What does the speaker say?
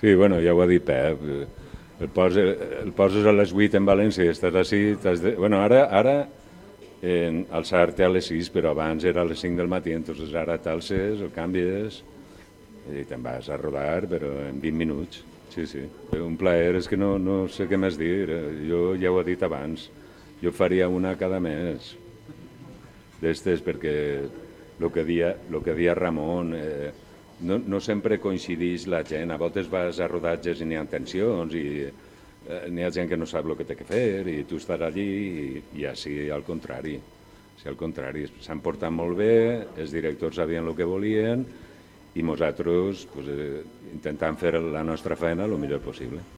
Sí, bueno, ja ho ha dit Pep. El poses a les 8 en València i estàs així... Bueno, ara alçar-te a les 6, però abans era a les 5 del matí, entonces ara t'alces, el canvies i te'n vas a rodar, però en 20 minuts. Sí, sí. Un plaer, és que no sé què més dir. Jo ja ho he dit abans. Jo faria una cada mes d'estes perquè el que dia Ramon, no sempre coincideix la gent. A voltes vas a rodatges i n'hi ha tensions i n'hi ha gent que no sap el que té que fer i tu estàs allí i així al contrari. Sí, al contrari, s'han portat molt bé, els directors sabien el que volien i nosaltres pues, intentant fer la nostra feina el millor possible.